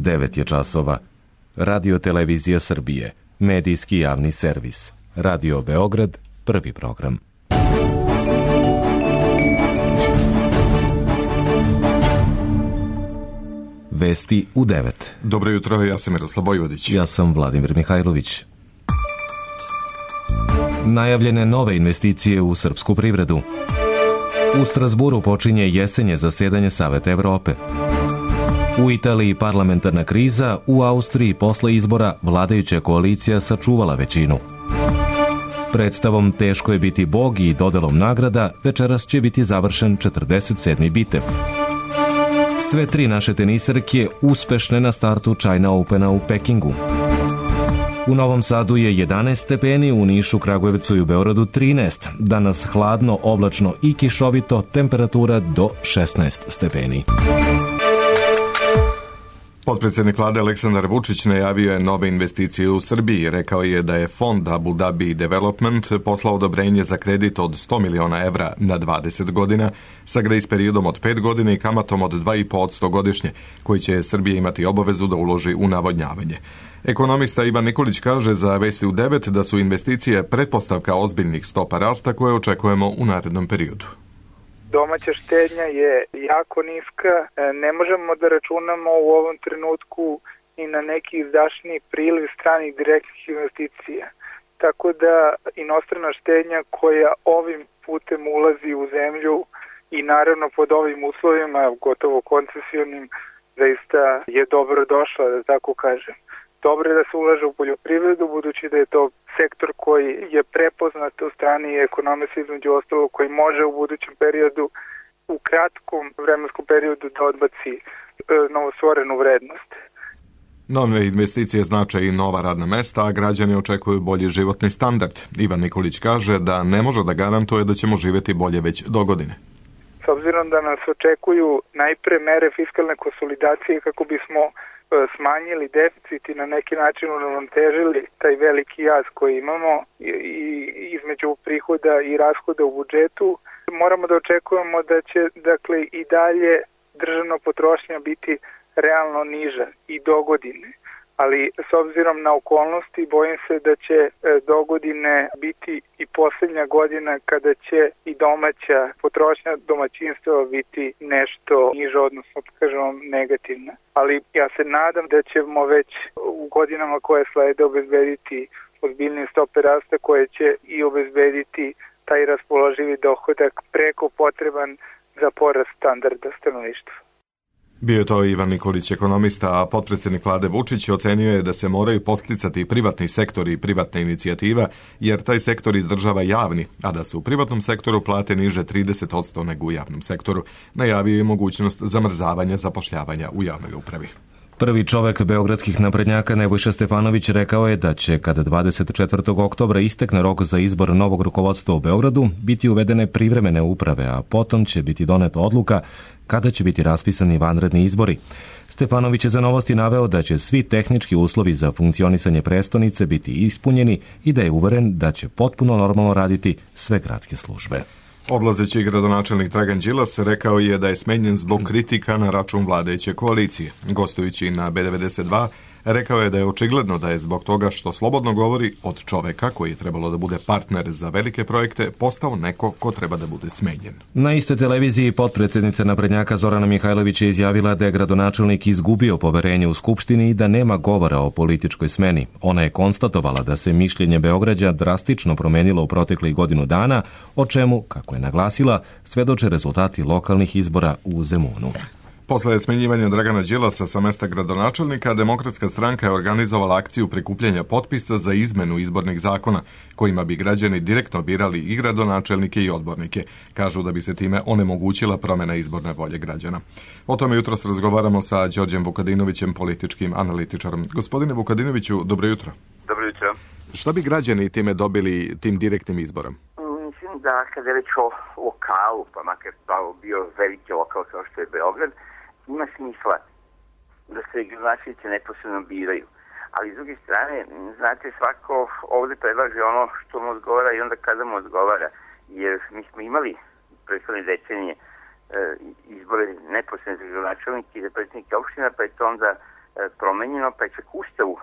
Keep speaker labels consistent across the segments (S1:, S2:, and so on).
S1: 9 je časova. Radio Televizija Srbije, medijski javni servis. Radio Beograd, prvi program. Vesti u 9.
S2: Dobro jutro, ja sam Miroslav Vojvodić.
S1: Ja sam Vladimir Mihajlović. Najavljene nove investicije u srpsku privredu. U Strasburu počinje jesenje zasedanje Saveta Evrope. U Italiji parlamentarna kriza, u Austriji posle izbora vladajuća koalicija sačuvala većinu. Predstavom Teško je biti Bog i dodelom nagrada večeras će biti završen 47. bitev. Sve tri naše teniserke uspešne na startu China Opena u Pekingu. U Novom Sadu je 11 stepeni, u Nišu, Kragujevcu i u Beogradu 13. Danas hladno, oblačno i kišovito, temperatura do 16 stepeni.
S2: Potpredsjednik vlade Aleksandar Vučić najavio je nove investicije u Srbiji. Rekao je da je fond Abu Dhabi Development poslao odobrenje za kredit od 100 miliona evra na 20 godina sa grejs periodom od 5 godina i kamatom od 2,5% godišnje, koji će Srbija imati obavezu da uloži u navodnjavanje. Ekonomista Ivan Nikolić kaže za Vesti u 9 da su investicije pretpostavka ozbiljnih stopa rasta koje očekujemo u narednom periodu.
S3: Domaća štednja je jako niska, ne možemo da računamo u ovom trenutku i na neki izdašniji priliv stranih direktnih investicija. Tako da inostrana štednja koja ovim putem ulazi u zemlju i naravno pod ovim uslovima, gotovo koncesionim, zaista je dobro došla, da tako kažem. Dobro je da se ulaže u poljoprivredu, budući da je to sektor koji je prepoznat u strani ekonomije, između ostalo, koji može u budućem periodu, u kratkom vremenskom periodu da odbaci novostvorenu vrednost.
S2: Nove investicije znače i nova radna mesta, a građani očekuju bolji životni standard. Ivan Nikolić kaže da ne može da garantuje da ćemo živjeti bolje već do godine.
S3: S obzirom da nas očekuju najpre mere fiskalne konsolidacije kako bismo smanjili deficit i na neki način uravnotežili taj veliki jaz koji imamo i između prihoda i rashoda u budžetu, moramo da očekujemo da će i dalje državna potrošnja biti realno niža i do godine. Ali s obzirom na okolnosti bojim se da će do godine biti i posljednja godina kada će i domaća potrošnja domaćinstva biti nešto niža, odnosno kažemo negativna. Ali ja se nadam da ćemo već u godinama koje slede obezbediti ozbiljnije stope rasta koje će i obezbediti taj raspoloživi dohodak preko potreban za porast standarda stanovništva.
S2: Bio je to Ivan Nikolić, ekonomista, a potpredsjednik vlade Vučić ocenio je da se moraju posticati privatni sektor i privatna inicijativa, jer taj sektor izdržava javni, a da su u privatnom sektoru plate niže 30% nego u javnom sektoru. Najavio je mogućnost zamrzavanja zapošljavanja u javnoj upravi.
S1: Prvi čovek beogradskih naprednjaka Nebojša Stefanović rekao je da će, kada 24. oktobra istekne rok za izbor novog rukovodstva u Beogradu, biti uvedene privremene uprave, a potom će biti doneta odluka kada će biti raspisani vanredni izbori. Stefanović je za Novosti naveo da će svi tehnički uslovi za funkcionisanje prestonice biti ispunjeni i da je uveren da će potpuno normalno raditi sve gradske službe.
S2: Odlazeći gradonačelnik Dragan Đilas rekao je da je smenjen zbog kritika na račun vladajuće koalicije. Gostujući na B92, rekao je da je očigledno da je zbog toga što slobodno govori od čoveka koji je trebalo da bude partner za velike projekte postao neko ko treba da bude smenjen.
S1: Na istoj televiziji potpredsjednica naprednjaka Zorana Mihajlović je izjavila da je gradonačelnik izgubio poverenje u Skupštini i da nema govora o političkoj smeni. Ona je konstatovala da se mišljenje Beograđa drastično promenilo u proteklih godinu dana, o čemu, kako je naglasila, svedoče rezultati lokalnih izbora u Zemunu.
S2: Posle smenjivanja Dragana Đilasa sa mesta gradonačelnika, Demokratska stranka je organizovala akciju prikupljanja potpisa za izmenu izbornih zakona, kojima bi građani direktno birali i gradonačelnike i odbornike. Kažu da bi se time onemogućila promjena izborne volje građana. O tome jutros razgovaramo sa Đorđem Vukadinovićem, političkim analitičarom. Gospodine Vukadinoviću, dobro jutro.
S4: Dobro jutro.
S2: Šta bi građani time dobili tim direktnim izborom?
S4: Mislim da kada je reč o lokalu, pa makar bio veliki lokal kao što je Beograd, ima smisla da se gradonačelnici neposredno biraju. Ali s druge strane, znate, svako ovdje predlaže ono što mu odgovara i onda kada mu odgovara. Jer mi smo imali prethodne decenije izbore neposredno za gradonačelnike i za predsjednike opština, pa je to onda promenjeno, pa je čak Ustavu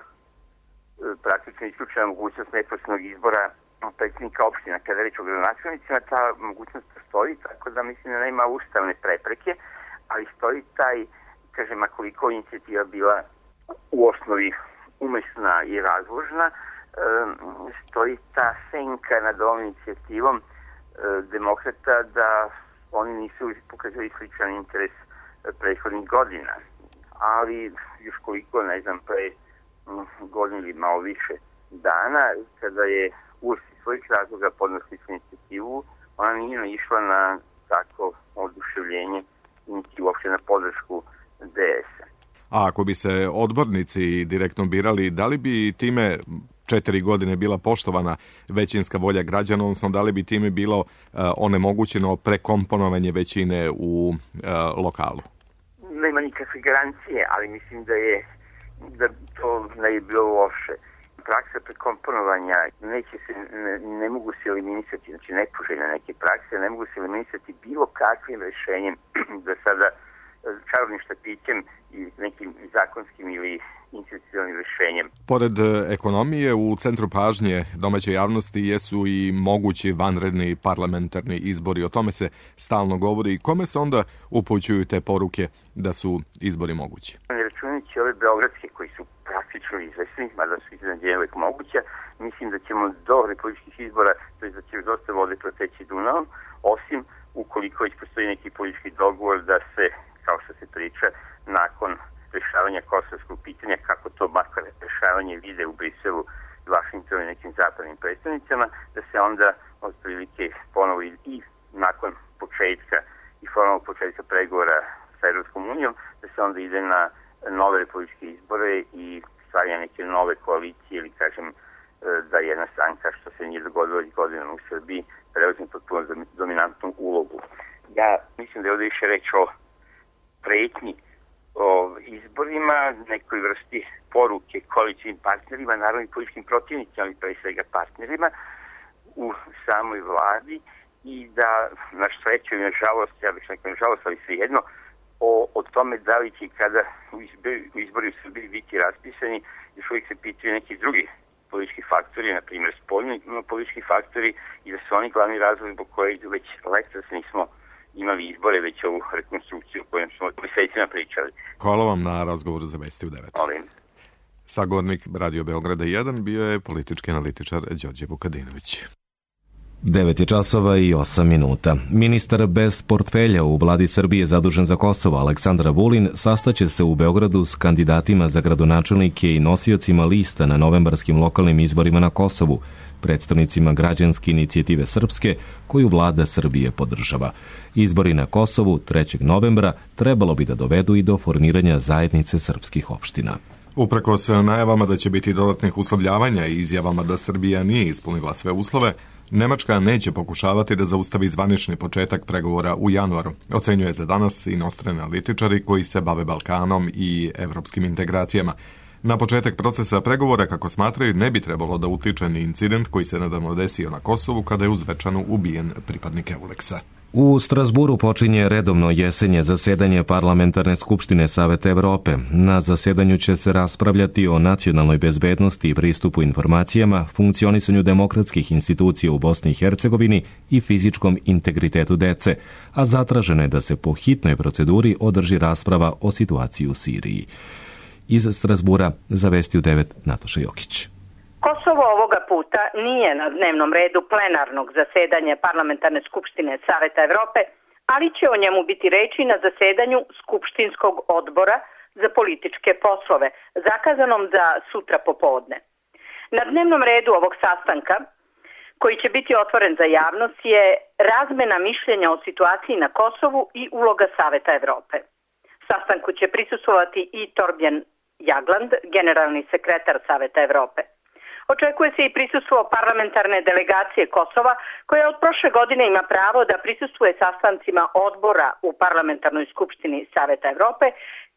S4: praktično isključena mogućnost neposrednog izbora predsjednika opština. Kada je reč o gradonačelnicima, ta mogućnost postoji, tako da mislim da nema ustavne prepreke, ali stoji taj, kažem, koliko inicijativa bila u osnovi umesna i razložna, stoji ta senka nad ovom inicijativom demokrata da oni nisu pokazali sličan interes prethodnih godina. Ali još koliko, ne znam, pre godinu ili malo više dana, kada je URS iz svojih razloga podneo sličnu inicijativu, ona nije naišla na tako oduševljenje, niti uopšte na podršku DS-a.
S2: A ako bi se odbornici direktno birali, da li bi time 4 godine bila poštovana većinska volja građana, odnosno da li bi time bilo onemogućeno prekomponovanje većine u lokalu?
S4: Nema nikakve garancije, ali mislim da to ne je bilo loše. Praksa prekomponovanja ne mogu se eliminisati, znači nepoželjne neke prakse, ne mogu se eliminisati bilo kakvim rešenjem da sada čarobnim štapićem i nekim zakonskim ili institucionalnim rešenjem.
S2: Pored ekonomije, u centru pažnje domaće javnosti jesu i mogući vanredni parlamentarni izbori. O tome se stalno govori. I kome se onda upućuju te poruke da su izbori mogući?
S4: Ne računajući ove beogradske koji su praktično izvesni, mada su iznenađenja uvek moguća, mislim da ćemo do republičkih izbora, to je da će dosta vode proteći Dunavom, osim ukoliko već postoji neki politički dogovor da se, kao što se priča, nakon rešavanja kosovskog pitanja, kako to makar rešavanje vide u Briselu, Vašingtonu i nekim zapadnim predstavnicama, da se onda otprilike ponovo i nakon početka i formalnog početka pregovora sa Evropskom unijom, da se onda ide na nove republičke izbore i stvaranje neke nove koalicije ili kažem da jedna stranka, što se nije dogodilo već godinama u Srbiji, preuzme potpuno dominantnu ulogu. Ja mislim da je ovdje više reč o pretnji o izborima, nekoj vrsti poruke koalicijnim partnerima, naravno i političkim protivnicima, ali pre svega partnerima u samoj vladi i da, na sreću i na žalost, ja bih rekao na žalost, ali svejedno, o tome da li će kada izbori u Srbiji biti raspisani, još uvijek se pitaju neki drugi politički faktori, na primjer spoljni politički faktori, i da su oni glavni razlog zbog kojeg već letos nismo imali izbore, već ovu rekonstrukciju o kojoj smo mesecima pričali.
S2: Hvala vam na razgovoru za Vesti u 9.
S4: Molim.
S2: Sagovornik Radio Beograda 1 bio je politički analitičar Đorđe Vukadinović.
S1: 9:08. Ministar bez portfelja u vladi Srbije zadužen za Kosovo Aleksandar Vulin sastaće se u Beogradu s kandidatima za gradonačelnike i nosiocima lista na novembarskim lokalnim izborima na Kosovu, predstavnicima građanske inicijative Srpske, koju vlada Srbije podržava. Izbori na Kosovu 3. novembra trebalo bi da dovedu i do formiranja zajednice srpskih opština.
S2: Uprkos najavama da će biti dodatnih uslovljavanja i izjavama da Srbija nije ispunila sve uslove, Nemačka neće pokušavati da zaustavi zvanični početak pregovora u januaru, ocenjuje za danas inostrani analitičari koji se bave Balkanom i evropskim integracijama. Na početak procesa pregovora, kako smatraju, ne bi trebalo da utiče ni incident koji se nedavno desio na Kosovu kada je u Zvečanu ubijen pripadnik Euleksa.
S1: U Strasburu počinje redovno jesenje zasedanje Parlamentarne skupštine Saveta Evrope. Na zasedanju će se raspravljati o nacionalnoj bezbednosti i pristupu informacijama, funkcionisanju demokratskih institucija u Bosni i Hercegovini i fizičkom integritetu dece, a zatraženo je da se po hitnoj proceduri održi rasprava o situaciji u Siriji. Iz Strasbura za Vesti u 9 Nataša Jokić.
S5: Kosovo ovoga puta nije na dnevnom redu plenarnog zasedanja Parlamentarne skupštine Saveta Evrope, ali će o njemu biti reči na zasedanju Skupštinskog odbora za političke poslove, zakazanom za sutra popodne. Na dnevnom redu ovog sastanka, koji će biti otvoren za javnost, je razmena mišljenja o situaciji na Kosovu i uloga Saveta Evrope. Sastanku će prisustvovati i Torbjörn Jagland, generalni sekretar Saveta Evrope. Očekuje se i prisustvo parlamentarne delegacije Kosova, koja od prošle godine ima pravo da prisustvuje sastancima odbora u Parlamentarnoj skupštini Saveta Evrope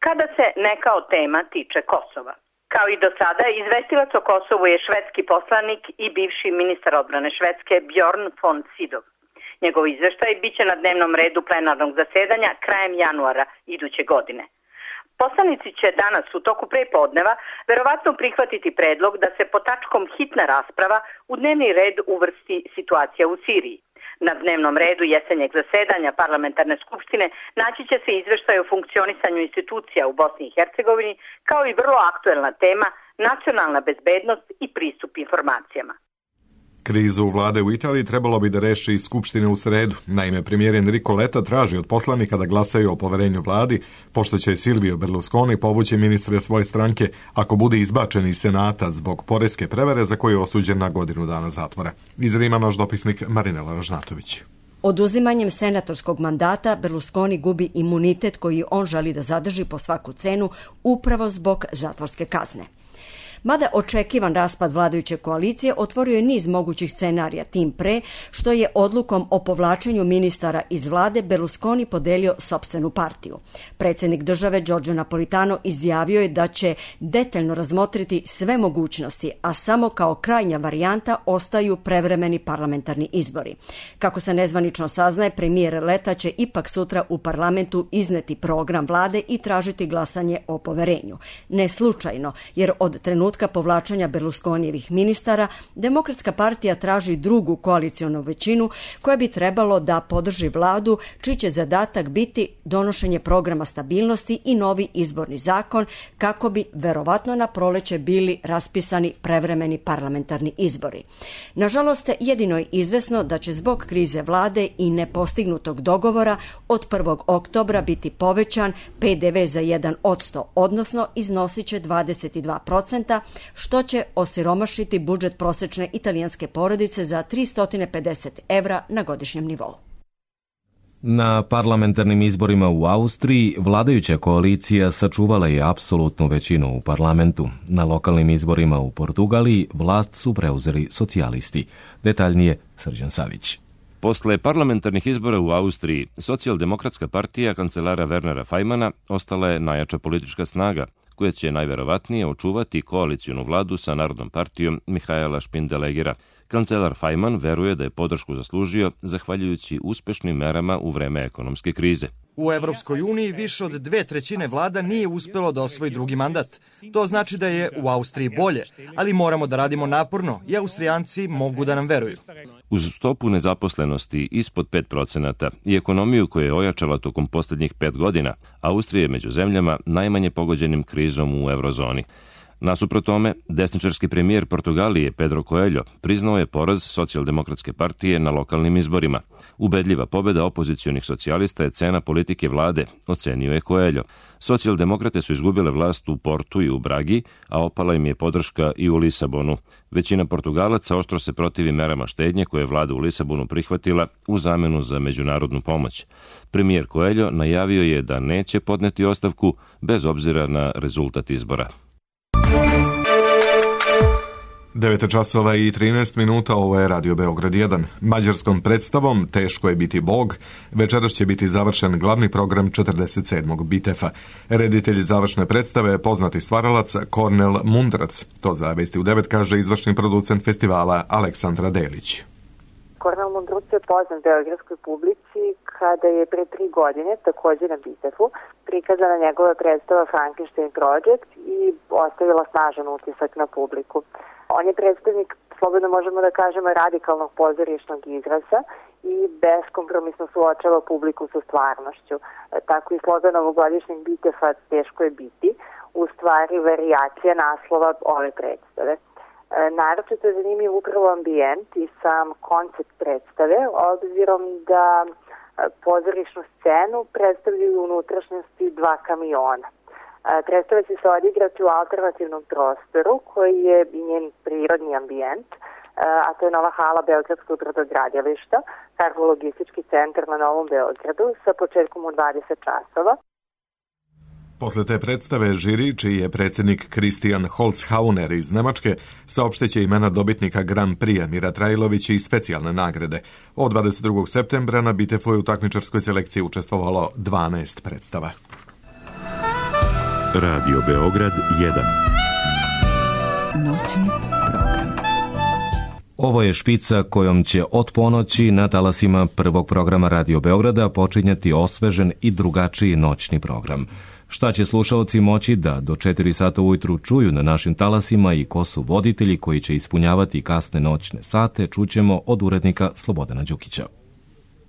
S5: kada se neka od tema tiče Kosova. Kao i do sada, izvestilac o Kosovu je švedski poslanik i bivši ministar odbrane Švedske Bjorn von Sydow. Njegov izveštaj biće na dnevnom redu plenarnog zasedanja krajem januara iduće godine. Poslanici će danas u toku prepodneva verovatno prihvatiti predlog da se pod tačkom hitna rasprava u dnevni red uvrsti situacija u Siriji. Na dnevnom redu jesenjeg zasedanja parlamentarne skupštine naći će se izveštaj o funkcionisanju institucija u Bosni i Hercegovini, kao i vrlo aktuelna tema nacionalna bezbednost i pristup informacijama.
S2: Krizu vlade u Italiji trebalo bi da reši Skupština u sredu. Naime, premijer Enrico Letta traži od poslanika da glasaju o poverenju vladi, pošto će Silvio Berlusconi povući ministre svoje stranke ako bude izbačen iz Senata zbog poreske prevare za koju je osuđen na godinu dana zatvora. Iz Rima naš dopisnik Marinela Ražnatović.
S6: Oduzimanjem senatorskog mandata Berlusconi gubi imunitet koji on želi da zadrži po svaku cenu upravo zbog zatvorske kazne. Mada očekivan raspad vladajuće koalicije otvorio je niz mogućih scenarija, tim pre što je odlukom o povlačenju ministara iz vlade Berlusconi podelio sopstvenu partiju. Predsjednik države Giorgio Napolitano izjavio je da će detaljno razmotriti sve mogućnosti, a samo kao krajnja varijanta ostaju prevremeni parlamentarni izbori. Kako se nezvanično saznaje, premijer Letta će ipak sutra u parlamentu izneti program vlade i tražiti glasanje o poverenju. Ne slučajno, jer od trenutka povlačenja Berlusconijevih ministara, Demokratska partija traži drugu koalicionu većinu koja bi trebalo da podrži vladu, čiji će zadatak biti donošenje programa stabilnosti i novi izborni zakon, kako bi verovatno na proleće bili raspisani prevremeni parlamentarni izbori. Nažalost, jedino je izvesno da će zbog krize vlade i nepostignutog dogovora od 1. oktobra biti povećan PDV za 1%, odnosno iznosit će 22%, što će osiromašiti budžet prosečne italijanske porodice za 350 evra na godišnjem nivou.
S1: Na parlamentarnim izborima u Austriji vladajuća koalicija sačuvala je apsolutnu većinu u parlamentu. Na lokalnim izborima u Portugaliji vlast su preuzeli socijalisti. Detaljnije Srđan Savić.
S7: Posle parlamentarnih izbora u Austriji, socijaldemokratska partija kancelara Wernera Fajmana ostala je najjača politička snaga, koja će najverovatnije očuvati koalicijnu vladu sa Narodnom partijom Mihaela Špindelegera. Kancelar Fajman veruje da je podršku zaslužio zahvaljujući uspešnim merama u vreme ekonomske krize.
S8: U Evropskoj uniji više od 2/3 vlada nije uspelo da osvoji drugi mandat. To znači da je u Austriji bolje, ali moramo da radimo naporno i Austrijanci mogu da nam veruju.
S7: Uz stopu nezaposlenosti ispod 5% i ekonomiju koja je ojačala tokom posljednjih 5 godina, Austrija je među zemljama najmanje pogođenim krizom u eurozoni. Nasuprot tome, desničarski premijer Portugalije Pedro Coelho priznao je poraz socijaldemokratske partije na lokalnim izborima. Ubedljiva pobjeda opozicionih socijalista je cena politike vlade, ocenio je Coelho. Socijaldemokrate su izgubile vlast u Portu i u Bragi, a opala im je podrška i u Lisabonu. Većina Portugalaca oštro se protivi merama štednje koje je vlada u Lisabonu prihvatila u zamenu za međunarodnu pomoć. Premijer Coelho najavio je da neće podneti ostavku bez obzira na rezultat izbora.
S2: 9:13, ovo je Radio Beograd 1. Mađarskom predstavom Teško je biti Bog, večeras će biti završen glavni program 47. Bitefa. Reditelj završne predstave je poznati stvaralac Kornel Mundrac. To za Vesti u 9 kaže izvršni producent festivala Aleksandra Delić.
S9: Kornel Mundrac je poznat beogradskoj publici kada je pre 3 godine, također na Bitefu, prikazana njegova predstava Frankenstein Project i ostavila snažan utisak na publiku. On je predstavnik, slobodno možemo da kažemo, radikalnog pozorišnog izraza i beskompromisno suočava publiku sa stvarnošću. Tako i slogan ovogodišnjeg Bitefa Teško je biti, u stvari varijacija naslova ove predstave. Naročito je zanimljiv upravo ambijent i sam koncept predstave, obzirom da pozorišnu scenu predstavljaju unutrašnjosti 2 kamiona. Predstava će se odigrati u alternativnom prostoru koji je i njen prirodni ambijent, a to je nova hala Beogradskog brodogradilišta, kargo-logistički centar na Novom Beogradu sa početkom u 20 časova.
S2: Posle te predstave žiri, čiji je predsjednik Christian Holzhauner iz Nemačke, saopšteće imena dobitnika Grand Prix Mira Trajlovića i specijalne nagrade. Od 22. septembra na Bitefu je u takmičarskoj selekciji učestvovalo 12 predstava.
S10: Radio Beograd 1.
S6: Noćni program.
S1: Ovo je špica kojom će od ponoći na talasima prvog programa Radio Beograda počinjati osvežen i drugačiji noćni program. Šta će slušaoci moći da do 4 sata ujutru čuju na našim talasima i ko su voditelji koji će ispunjavati kasne noćne sate, čućemo od urednika Slobodana Đukića.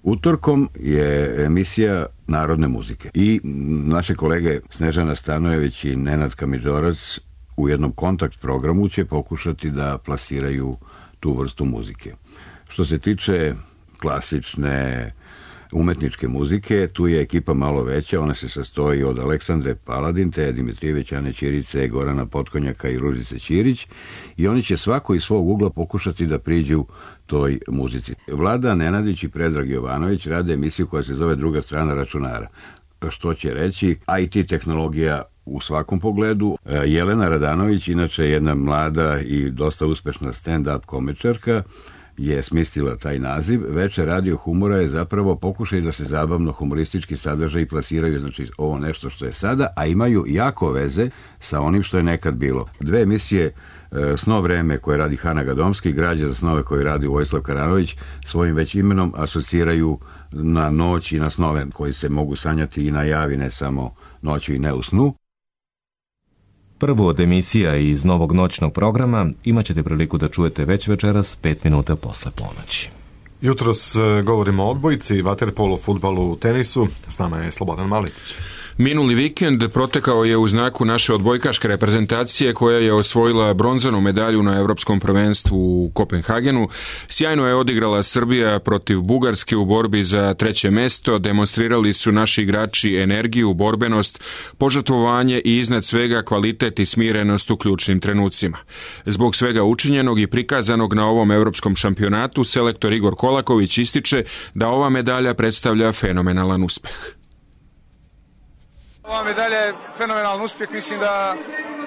S11: Utorkom je emisija narodne muzike i naše kolege Snežana Stanojević i Nenad Kamidžorac u jednom kontakt programu će pokušati da plasiraju tu vrstu muzike. Što se tiče klasične umetničke muzike, tu je ekipa malo veća, ona se sastoji od Aleksandre Paladin, Teja Dimitrijević, Ane Ćirice, Gorana Potkonjaka i Ružice Ćirić i oni će svako iz svog ugla pokušati da priđu toj muzici. Vlada Nenadić i Predrag Jovanović rade emisiju koja se zove Druga strana računara. Što će reći, IT tehnologija u svakom pogledu. Jelena Radanović, inače jedna mlada i dosta uspešna stand-up komičarka, je smislila taj naziv. Večer radio humora je zapravo pokušaj da se zabavno humoristički sadržaj plasiraju, znači ovo nešto što je sada, a imaju jako veze sa onim što je nekad bilo. Dve emisije Sno vreme koje radi Hana Gadomski i Građa za snove koje radi Vojislav Karanović svojim već imenom asociraju na noć i na snove koji se mogu sanjati i na javi, ne samo noću i ne u snu.
S1: Prvu od emisija iz novog noćnog programa imat ćete priliku da čujete već večeras 5 minuta posle ponoći.
S2: Jutros govorimo o odbojci, vaterpolu, fudbalu, tenisu. S nama je Slobodan Maletić.
S12: Minuli vikend protekao je u znaku naše odbojkaške reprezentacije koja je osvojila bronzanu medalju na Evropskom prvenstvu u Kopenhagenu. Sjajno je odigrala Srbija protiv Bugarske u borbi za 3. mesto. Demonstrirali su naši igrači energiju, borbenost, požrtvovanje i iznad svega kvalitet i smirenost u ključnim trenucima. Zbog svega učinjenog i prikazanog na ovom evropskom šampionatu, selektor Igor Kolaković ističe da ova medalja predstavlja fenomenalan uspeh.
S13: Ova medalja je fenomenalan uspjeh, mislim da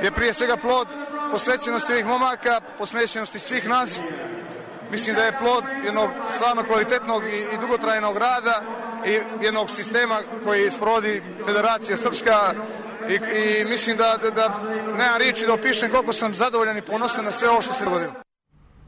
S13: je prije svega plod posvećenosti ovih momaka, posvećenosti svih nas. Mislim da je plod jednog stvarno kvalitetnog i dugotrajnog rada i jednog sistema koji sprovodi Federacija Srpska i mislim da nemam riječi da opišem koliko sam zadovoljan i ponosan na sve ovo što se dogodilo.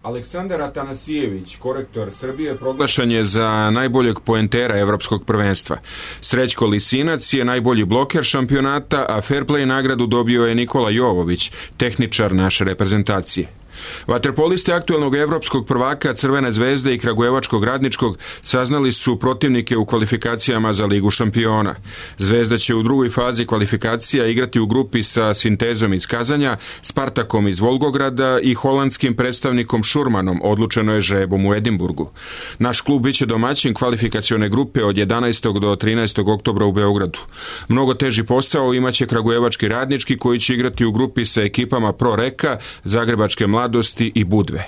S12: Aleksandar Atanasijević, korektor Srbije, proglašen je za najboljeg poentera evropskog prvenstva. Srećko Lisinac je najbolji bloker šampionata, a fair play nagradu dobio je Nikola Jovović, tehničar naše reprezentacije. Vaterpolisti aktuelnog evropskog prvaka Crvene zvezde i Kragujevačkog Radničkog saznali su protivnike u kvalifikacijama za Ligu šampiona. Zvezda će u drugoj fazi kvalifikacija igrati u grupi sa Sintezom iz Kazanja, Spartakom iz Volgograda i holandskim predstavnikom Šurmanom, odlučeno je žrebom u Edimburgu. Naš klub biće domaćin kvalifikacione grupe od 11. do 13. oktobra u Beogradu. Mnogo teži posao imaće Kragujevački Radnički koji će igrati u grupi sa ekipama Pro Reka, Zagrebačke Mladosti i Budve.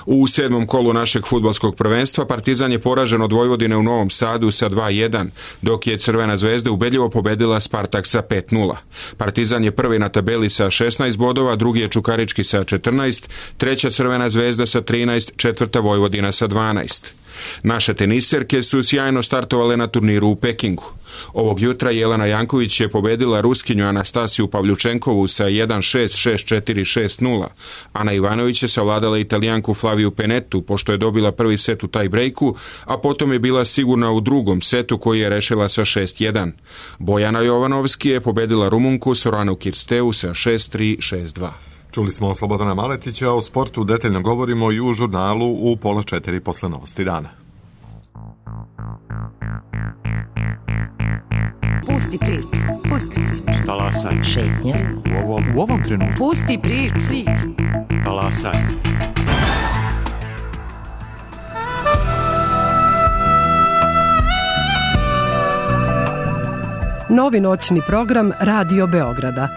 S12: U 7. kolu našeg fudbalskog prvenstva Partizan je poražen od Vojvodine u Novom Sadu sa 2:1, dok je Crvena zvezda ubedljivo pobedila Spartak sa 5:0. Partizan je prvi na tabeli sa 16 bodova, drugi je Čukarički sa 14, treća Crvena zvezda sa 13, četvrta Vojvodina sa 12. Naše teniserke su sjajno startovale na turniru u Pekingu. Ovog jutra Jelena Janković je pobedila Ruskinju Anastasiju Pavljučenkovu sa 1-6, 6-4, 6-0. Ana Ivanović je savladala Italijanku Flaviju Penetu pošto je dobila prvi set u taj brejku, a potom je bila sigurna u drugom setu koji je rešila sa 6-1. Bojana Jovanovski je pobedila Rumunku Soranu Kirsteu sa 6-3, 6-2.
S2: Čuli smo Slobodana Maletića, o sportu detaljno govorimo i u žurnalu u 3:30 posle novosti dana.
S14: Pusti priču, pusti priču.
S10: Talasaj.
S14: Šetnja.
S10: U ovom trenutku.
S14: Pusti priču.
S10: Talasaj.
S15: Novi noćni program Radio Beograda.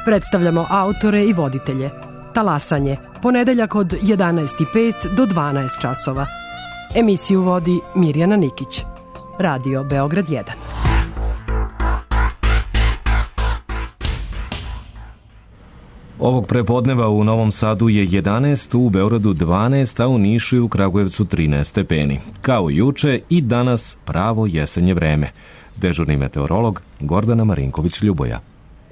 S15: Predstavljamo autore i voditelje. Talasanje, ponedeljak od 11:05 do 12 časova. Emisiju vodi Mirjana Nikić. Radio Beograd 1.
S1: Ovog prepodneva u Novom Sadu je 11, u Beogradu 12, a u Nišu i u Kragujevcu 13 stepeni. Kao juče i danas pravo jesenje vreme. Dežurni meteorolog Gordana Marinković-Ljuboja.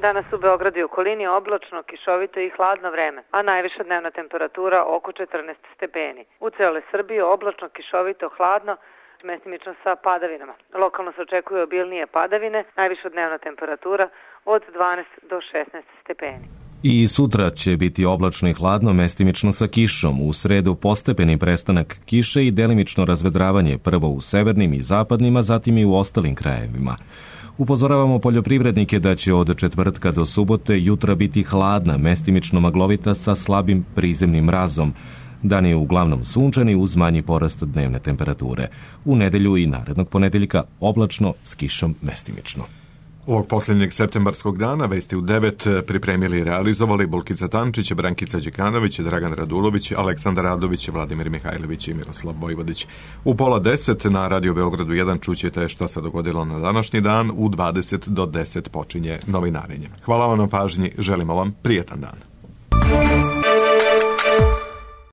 S16: Danas u Beogradu i okolini oblačno, kišovito i hladno vreme, a najviša dnevna temperatura oko 14 stepeni. U celoj Srbiji oblačno, kišovito, hladno, oblačnost mestimično sa padavinama. Lokalno se očekuju obilnije padavine, najviša dnevna temperatura od 12 do 16 stepeni.
S1: I sutra će biti oblačno i hladno, mestimično sa kišom. U sredu postepeni prestanak kiše i delimično razvedravanje, prvo u severnim i zapadnim, a zatim i u ostalim krajevima. Upozoravamo poljoprivrednike da će od četvrtka do subote jutra biti hladna, mestimično maglovita sa slabim prizemnim mrazom. Dan je uglavnom sunčani uz manji porast dnevne temperature. U nedelju i narednog ponedeljka oblačno s kišom mestimično.
S2: Ovog posljednjeg septembarskog dana vesti u 9 pripremili i realizovali Bulkica Tančić, Brankica Đekanović, Dragan Radulović, Aleksandar Radović, Vladimir Mihajlović i Miroslav Vojvodić. U 9:30 na Radio Beogradu 1 čućete šta se dogodilo na današnji dan. U 20 do 10 počinje novinarenje. Hvala vam na pažnji, želimo vam prijetan dan.